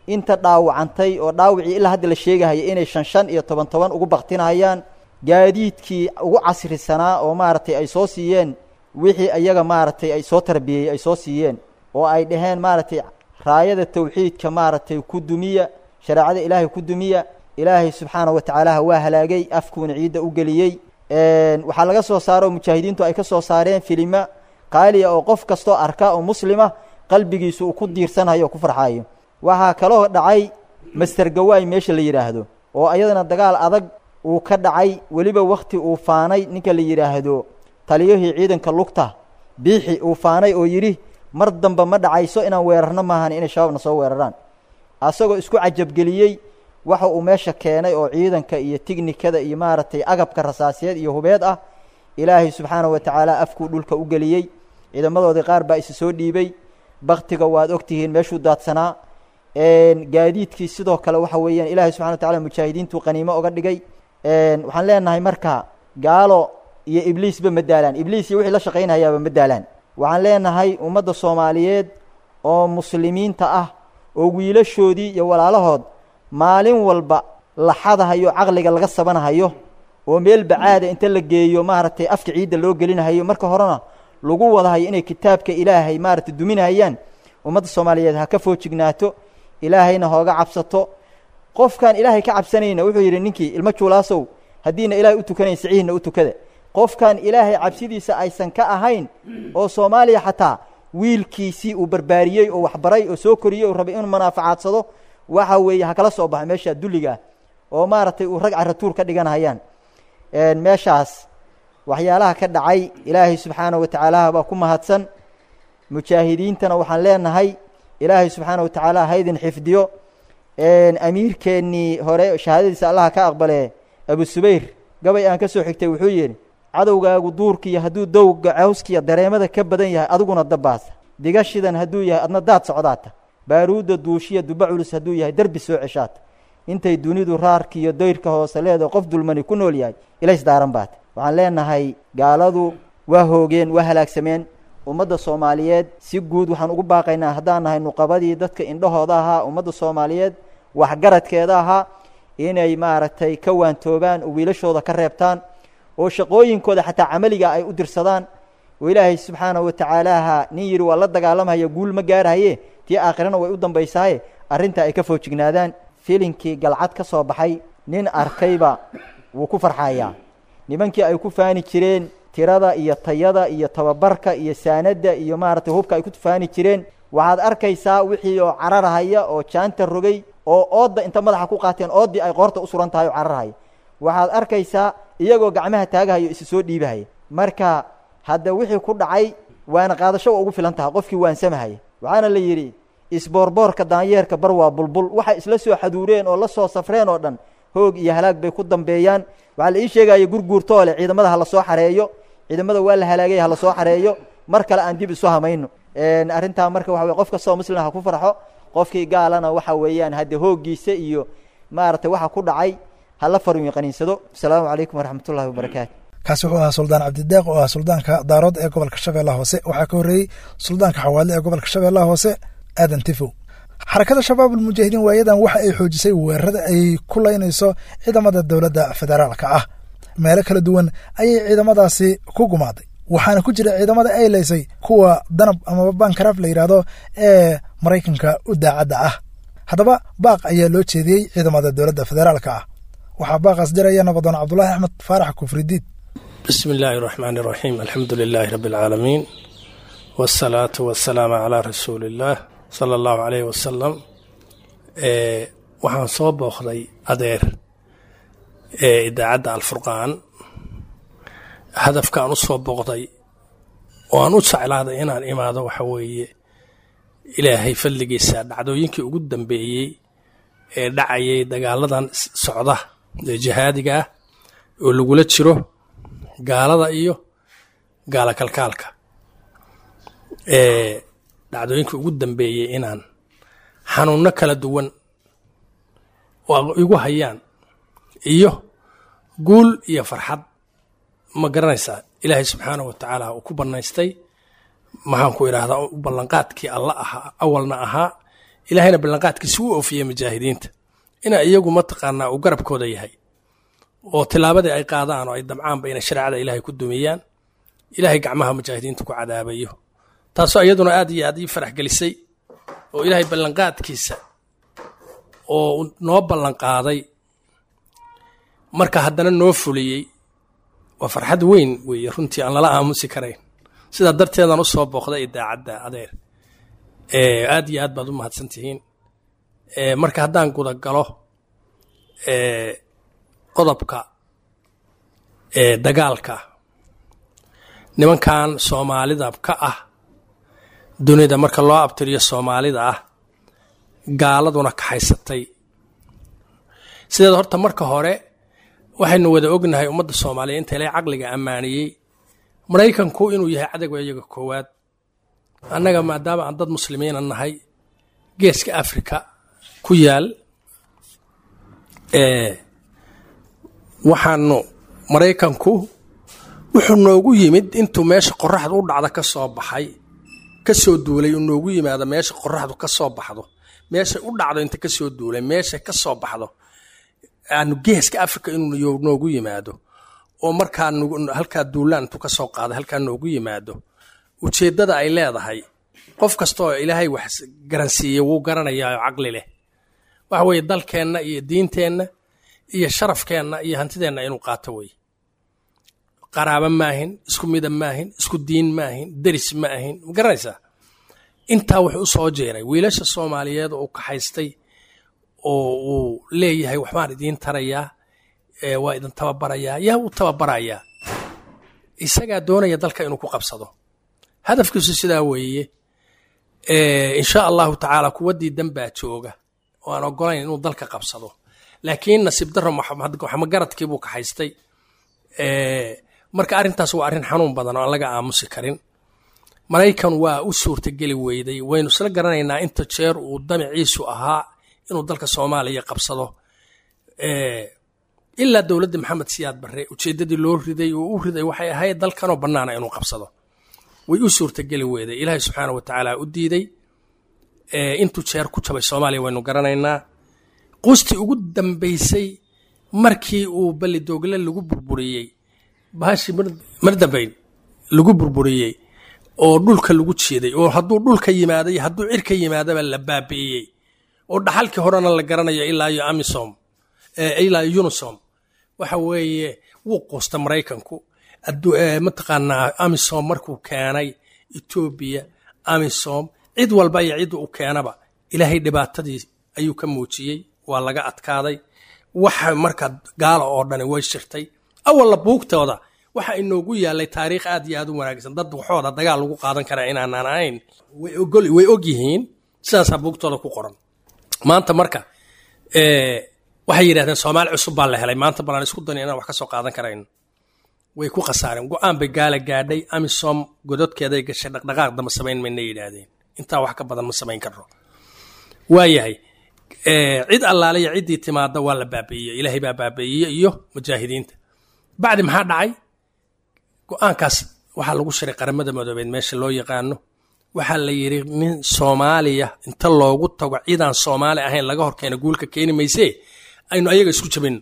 inta dhaawacantay oo dhaawacii ilaa hadda la sheegahaya inay shan shan iyo toban toban ugu baktinahayaan. Gaadiidkii ugu casrisanaa oo maaragtay ay soo siiyeen wixii iyaga maaragtay ay soo tarbiyey, ay soo siiyeen oo ay dhaheen maaragtay raayada tawxiidka maaragtay ku dumiya, shareecada Ilaahay ku dumiya, Ilaahay subxaana wa tacaalaha waa halaagay, afkuuna ciidda u geliyey. Waxaa laga soo saaro oo mujaahidiintu ay ka soo saareen filima qaaliya oo qof kastoo arka oo muslima qalbigiisu uu ku diirsanhayo oo ku farxaayo. Waxaa kaloo dhacay Master Gawaay meesha la yidhaahdo, oo ayadana dagaal adag uu ka dhacay, weliba wakti uu faanay ninka la yidhaahdo taliyihii ciidanka lugta Biixi, uu faanay oo yidhi mar damba ma dhacayso inaan weerarno maahan inay Shabaabna soo weeraraan, asagoo isku cajabgeliyey waxa uu meesha keenay oo ciidanka iyo tignikada iyo maaragtay agabka rasaasiyeed iyo hubeed ah. Ilaahay subxaana wa tacaala afkuu dhulka u geliyey. Ciidamadoodii qaar baa isa soo dhiibay. Baktiga waad ogtihiin meeshuu daadsanaa. Gaadiidkii sidoo kale waxa weeyaan Ilaahay subxana wa tacala mujaahidiintuu qaniimo oga dhigay. Waxaan leenahay marka, gaalo iyo ibliisba ma daalaan, ibliis iyo wixii la shaqaynayaaba ma daalaan. Waxaan leenahay ummadda Soomaaliyeed oo muslimiinta ah, oo wiilashoodii iyo walaalahood maalin walba la xadahayo, caqliga laga sabanahayo, oo meel bacaada inta la geeyo maaragtay afka ciidda loo gelinahayo, marka horena lagu wadahayo inay kitaabka Ilaahay maaragtay duminahayaan, ummadda Soomaaliyeed ha ka foojignaato, Ilaahayna hooga cabsato. Qofkaan Ilaahay ka cabsanayna wuxuu yidhi ninkii ilmo juulaasow, Haddiina ilaahay u tukanayn sicihiinna u tukada. Qofkan ilaahay cabsidiisa aysan ka ahayn oo Soomaaliya xataa wiilkiisii uu barbaariyey oo waxbaray oo soo koriyey oo rabay inuu manaaficaadsado, waxa weeye ha kala soo baxa meesha dulliga ah oo maaragtay uu rag carratuur ka dhiganahayaan. Meeshaas waxyaalaha ka dhacay ilaahay subxaanahu wa tacaala baa ku mahadsan. Mujaahidiintana waxaan leenahay ilaahay subxaanahu wa tacaala ha idin xifdiyo. Amiirkeennii hore shahaadadiisa allaha ka aqbale Abu Subayr gabay aan ka soo xigtay wuxuu yidhi: cadowgaagu duurkiiyo hadduu dowga cawskiya dareemada ka badan yahay adiguna dabbaasa, digashidan hadduu yahay adna daad socdaata, baaruudda duushiya duba culus hadduu yahay derbi soo ceshaata, intay dunidu raarkiiyo dayrka hoose leedaho qof dulmani ku nool yahay ilays daaran baata. Waxaan leenahay gaaladu waa hoogeen, waa halaagsameen. Ummadda Soomaaliyeed si guud waxaan ugu baaqaynaa haddaan nahay nuqabadii dadka indhahooda ahaa, ummadda Soomaaliyeed waxgaradkeeda ahaa, inay maaragtay ka waantoobaan oo wiilashooda ka reebtaan oo shaqooyinkooda xataa camaliga ay u dirsadaan. Oo ilaahay subxaanahu wa tacaalaha nin yidhi waa la dagaalamhaya guul ma gaarahaye, tii aakhirana way u dambaysaaye, arrintaa ay ka foojignaadaan. Filinkii Galcad ka soo baxay nin arkayba wuu ku farxayaa. Nimankii ay ku faani jireen tirada iyo tayada iyo tababarka iyo saanadda iyo maaragtay hubka ay ku faani jireen, waxaad arkaysaa wixii oo cararahaya oo jaanta rogay oo oodda inta madaxa ku qaateen ooddii ay qoorta u suran tahay oo cararahaya. Waxaad arkaysaa iyagoo gacmaha taagahayo isu soo dhiibahaya. Marka hadda wixii ku dhacay waana qaadasho waa ugu filan tahay qofkii waansamahaya. Waxaana la yidhi isboorboorka daanyeerka bar waa bulbul. Waxay isla soo xaduureen oo la soo safreen oo dhan hoog iyo halaag bay ku dambeeyaan. Waxaa la ii sheegaya gurguurtoole ciidamada ha la soo xareeyo, ciidamada waa la halaagay ha la soo xareeyo, mar kale aan dib isu hamayno. Arrintaa marka waxa weye qof kastoo muslim ha ku farxo, qofkii gaalana waxa weeyaan hadde hooggiisa iyo maaragtay waxa ku dhacay ha la faruun qaniinsado. Asalaamu calaykum waraxmatullahi wabarakaatu. Kaasi wuxuu ahaa Suldaan Cabdideeq oo ah suldaanka Daarood ee gobolka Shabeellaha Hoose. Waxaa ka horreeyey suldaanka Xawaadle ee gobolka Shabeellaha Hoose Aadan Tifow. Xarakada Shabaabul Mujaahidiin waayadan waxa ay xoojisay weerarada ay ku laynayso ciidamada dowladda federaalka ah. Meelo kala duwan ayay ciidamadaasi ku gumaaday, waxaana ku jira ciidamada ay laysay kuwa danab amaba bankaraaf la yidhaahdo ee Maraykanka u daacadda ah. Haddaba baaq ayaa loo jeediyey ciidamada dowladda federaalka ah. Waxaa baaqaas diraya nabadoon Cabdulaahi Axmed Faarax Kufridiid. بسم الله الرحمن الرحيم، الحمد لله رب العالمين، والصلاة والسلام على رسول الله صلى الله عليه وسلم. ee waxaan soo booqday adeer ee idaacadda Alfurqaan. Hadafka aan u soo booqday oo aan u jeclaaday inaan imaado waxa weeye ilaahay fadligiisa dhacdooyinkii ugu dambeeyey ee dhacayay dagaaladan socda ee jihaadiga ah oo lagula jiro gaalada iyo gaala kalkaalka, ee dhacdooyinkii ugu dambeeyey inaan xanuunno kala duwan oo igu hayaan iyo guul iyo farxad ma garanaysaa ilaahay subxaanahu wa tacaala uu ku bannaystay. Maxaan ku idhaahdaa, ballanqaadkii alla ahaa awalna ahaa, ilaahayna ballanqaadkiisi u oofiyey mujaahidiinta ina iyagu mataqaanaa uu garabkooda yahay oo tilaabadii ay qaadaan oo ay damcaanba inay shareecada ilaahay ku dumiyaan ilaahay gacmaha mujaahidiinta ku cadaabayo. Taasoo iyaduna aad iyo aad ii farax gelisay oo ilaahay ballanqaadkiisa oo noo ballanqaaday marka haddana noo fuliyey waa farxad weyn weeye runtii aan lala aamusi karayn. Sidaa darteedaan u soo booqday idaacadda adeer. Aad iyo aad baad u mahadsan tihiin. Marka haddaan gudagalo qodobka dagaalka nimankan Soomaalida ka ah dunida marka loo abtiriyo Soomaalida ah gaaladuna kaxaysatay. Sideed horta marka hore waxaynu wada ognahay ummadda Soomaaliya inta ilaahay caqliga ammaaniyey Maraykanku inuu yahay cadowga iyaga koowaad. Annaga maadaama aan dad muslimiina nahay geeska Afrika ku yaal ee waxaanu Maraykanku wuxuu noogu yimid intuu meesha qorraxdu u dhacda ka soo baxay ka soo duulay uu noogu yimaado meesha qorraxdu ka soo baxdo meesha u dhacdo inta ka soo duulay meesha ka soo baxdo aanu geeska Afrika inuu noogu yimaado oo markaa halkaa duulaan intuu ka soo qaado halkaa noogu yimaado. Ujeeddada ay leedahay qof kasta oo ilaahay wax garansiiyey wuu garanayaa oo caqli leh. Waxa weeye dalkeenna iyo diinteenna iyo sharafkeenna iyo hantideenna inuu qaato wey. Qaraabo maahin, isku midab maahin, isku diin maahin, deris ma ahin, ma garanaysaa? Intaa wuxuu u soo jeeray wiilasha Soomaaliyeed oo u kaxaystay oo uu leeyahay waxbaan idiin tarayaa, waa idin tababarayaa. Yaa u tababarayaa? Isagaa doonaya dalka inuu ku qabsado, hadafkiisu sidaa weeye. Insha Allahu tacaala kuwa diidan baa jooga oo aan ogolayn inuu dalka qabsado, laakiin nasiib darro waxmagaradkii buu kaxaystay. Marka arrintaas waa arrin xanuun badan oo aan laga aamusi karin. Maraykan waa u suurtageli weyday, waynu isla garanaynaa inta jeer uu damiciisu ahaa inuu dalka Soomaaliya qabsado, ilaa dowladda Maxamed Siyaad Barre ujeeddadii loo riday oo u riday waxay ahayd dalkanoo bannaana inuu qabsado. Way u suurtageli weyday, Ilaahay subxaana wa tacaala u diiday. Intuu jeer ku jabay Soomaaliya waynu garanaynaa. Quustii ugu dambaysay markii uu Balidoogle lagu burburiyey, bahashii mar dambayn lagu burburiyey oo dhulka lagu jiiday, oo hadduu dhulka yimaaday hadduu cirka yimaadaba la baabi'iyey, oo dhaxalkii horena la garanayo ilaa iyo AMISOM ilaa iyo UNISOM, waxa weeye wuu quusta Maraykanku. Mataqaanaa AMISOM markuu keenay Etoobiya, AMISOM cid walba iyo cidda uu keenaba Ilaahay dhibaatadii ayuu ka muujiyey, waa laga adkaaday. Waxa marka gaala oo dhani way shirtay. Awalla buugtooda waxa inoogu yaalay taariikh aad iyo aad u wanaagsan, dad waxooda dagaal lagu qaadan karaa inaanaan ahayn way og yihiin, sidaasaa buugtooda ku qoran. Maanta marka waxay yidhahdeen Soomaali cusub baa la helay, maanta balaan isku dani inaan wax ka soo qaadan karayno. Way ku khasaareen, go-aan bay gaala gaadhay. AMISOM gododkeeday gashay, dhaqdhaqaaq damba samayn mayna yidhaahdeen, intaa wax ka badan ma samayn karno. Waayahay, cid allaaliya ciddii timaada waa la baabi'iyey, Ilaahay baa baabi'iyey iyo mujaahidiinta. Bacdi maxaa dhacay? Go-aankaas waxaa lagu shiray Qaramada Madoobeed meesha loo yaqaano. Waxaa la yidhi nin Soomaaliya inta loogu tago ciidaan Soomaali ahayn laga horkeena guulka keeni maysee, aynu ayaga isku jabin.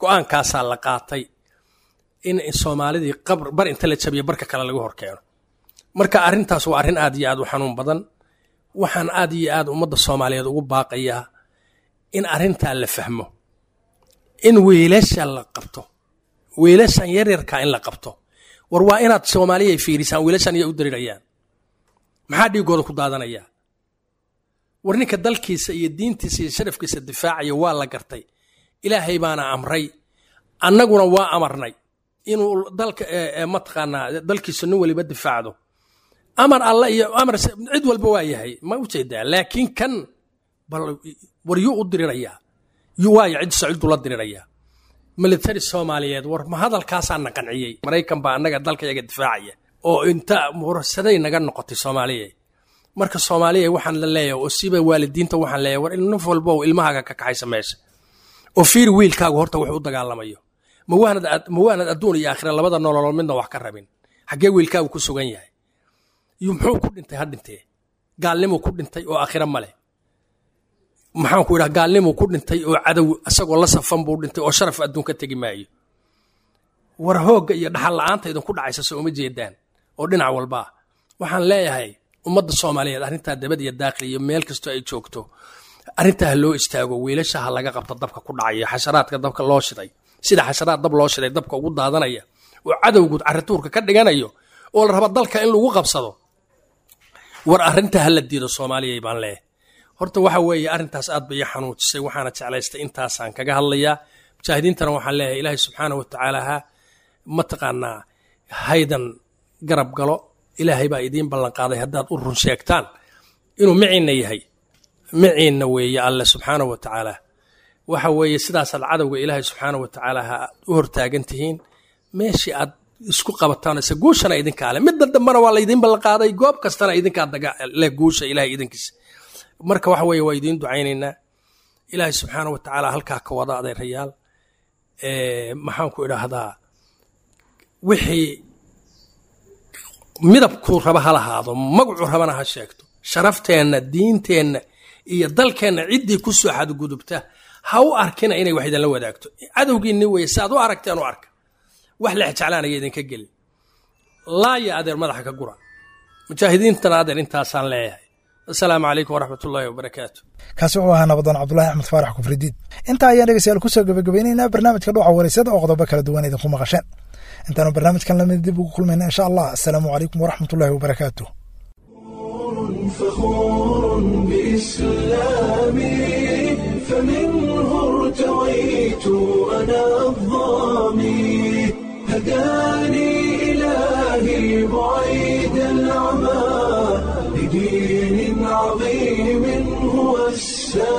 Go-aankaasaa la qaatay in Soomaalidii qabr bar inta la jabiyo barka kale laga horkeeno. Marka arrintaas waa arrin aad iyo aad u xanuun badan. Waxaan aad iyo aad ummadda Soomaaliyeed ugu baaqayaa in arrintaa la fahmo, in wiilasha la qabto, wiilashan yaryarkaa in la qabto. War waa inaad Soomaaliya ay fiirisaan wiilashan iyay u darirayaan, maxaa dhiigooda ku daadanayaa? War ninka dalkiisa iyo diintiisa iyo sharafkiisa difaacaya waa la gartay, Ilaahay baana amray, annaguna waa amarnay inuu dalka mataqaanaa dalkiisa nin waliba difaacdo. Amar alla iyo amar cid walba waa yahay, ma ujeedaa? Laakiin kan bal war yuu u dirirayaa, waayo cid saciduu la dirirayaa military Soomaaliyeed. War ma hadalkaasaa na qanciyey? Maraykan baa annaga dalka yaga difaacaya oo inta mursaday naga noqotay Soomaaliya. Marka Soomaaliya waxaan la leeyahay oo siba waalidiinta waxaan leeyahay, war naf walba oo ilmahaaga ka kaxaysa meesha oo fiiri wiilkaagu horta wuxuu u dagaalamayo. Ma waanad ma waanad adduun iyo aakhira labada nololood midna wax ka rabin? Xaggee wiilkaagu ku sugan yahay? Iyo muxuu ku dhintay? Ha dhintee gaalnimuu ku dhintay oo aakhira ma leh. Maxaan ku idhaha, gaalnimuu ku dhintay oo cadow isagoo la safan buu dhintay oo sharaf adduun ka tegi maayo. War hoogga iyo dhaxal la'aanta idinku dhacaysa soo uma jeedaan oo dhinac walbaa. Waxaan leeyahay ummadda Soomaaliyeed arrintaa dabad iyo daaqil iyo meel kastoo ay joogto arrintaa ha loo istaago, wiilasha ha laga qabto dabka ku dhacaya, xasharaadka dabka loo shiday, sida xasharaad dab loo shiday dabka ugu daadanaya oo cadowgu carrituurka ka dhiganayo oo la raba dalka in lagu qabsado. War arrintaa ha la diido Soomaaliya baan leeyahay. Horta waxa weeye arrintaas aad bay ii xanuujisay, waxaana jeclaystay intaasaan kaga hadlayaa. Mujaahidiintana waxaan leeyahay Ilaahay subxaana wa tacaala ha mataqaanaa haydan garab galo. Ilaahay baa idiin ballanqaaday haddaad u run sheegtaan inuu miciinna yahay, miciinna weeye Alle subxaana wa tacaala. Waxa weeye sidaasaad cadowga Ilaahay subxaana wa tacaala ha u hortaagan tihiin meeshii aad isku qabataan, ise guushana idinkaa leh, midda dambena waa laydiin ballanqaaday, goob kastana idinkaa daga leh guusha Ilaahay idinkiisa. Marka waxa weeye waa idiin ducaynaynaa Ilaahay subxaana wa tacaala halkaa ka wada adeerayaal. Maxaan ku idhaahdaa, wixii midabkuu raba ha lahaado, magacuu rabana ha sheegto, sharafteenna, diinteenna iyo dalkeenna ciddii ku soo xadgudubta ha u arkina inay wax idinla wadaagto. Cadowgiinni weye, si aad u aragteen u arka, wax lex jeclaanaya idinka gelin. Laaya adeer madaxa ka gura mujaahidiintana adeer, intaasaan leeyahay. Asalaamu calaykum waraxmat ullaahi wabarakaatu. Kaasi wuxuu ahaa nabadoon Cabdulahi Axmed Faarax Kufridiid. Intaa ayaan dhegeystayaal kusoo gebagabaynaynaa barnaamijka Dhuuxa Wareysada oo qodobo kala duwan idinku maqasheen. Intaanu barnaamijkan lamid dib ugu kulmayna insha Allah, assalaamu calaykum waraxmat ullaahi wabarakaatu. فخور بإسلامي، فمنه ارتويت أنا الظامي، هداني إلهي بعيد العمى لدين عظيم هو السلام.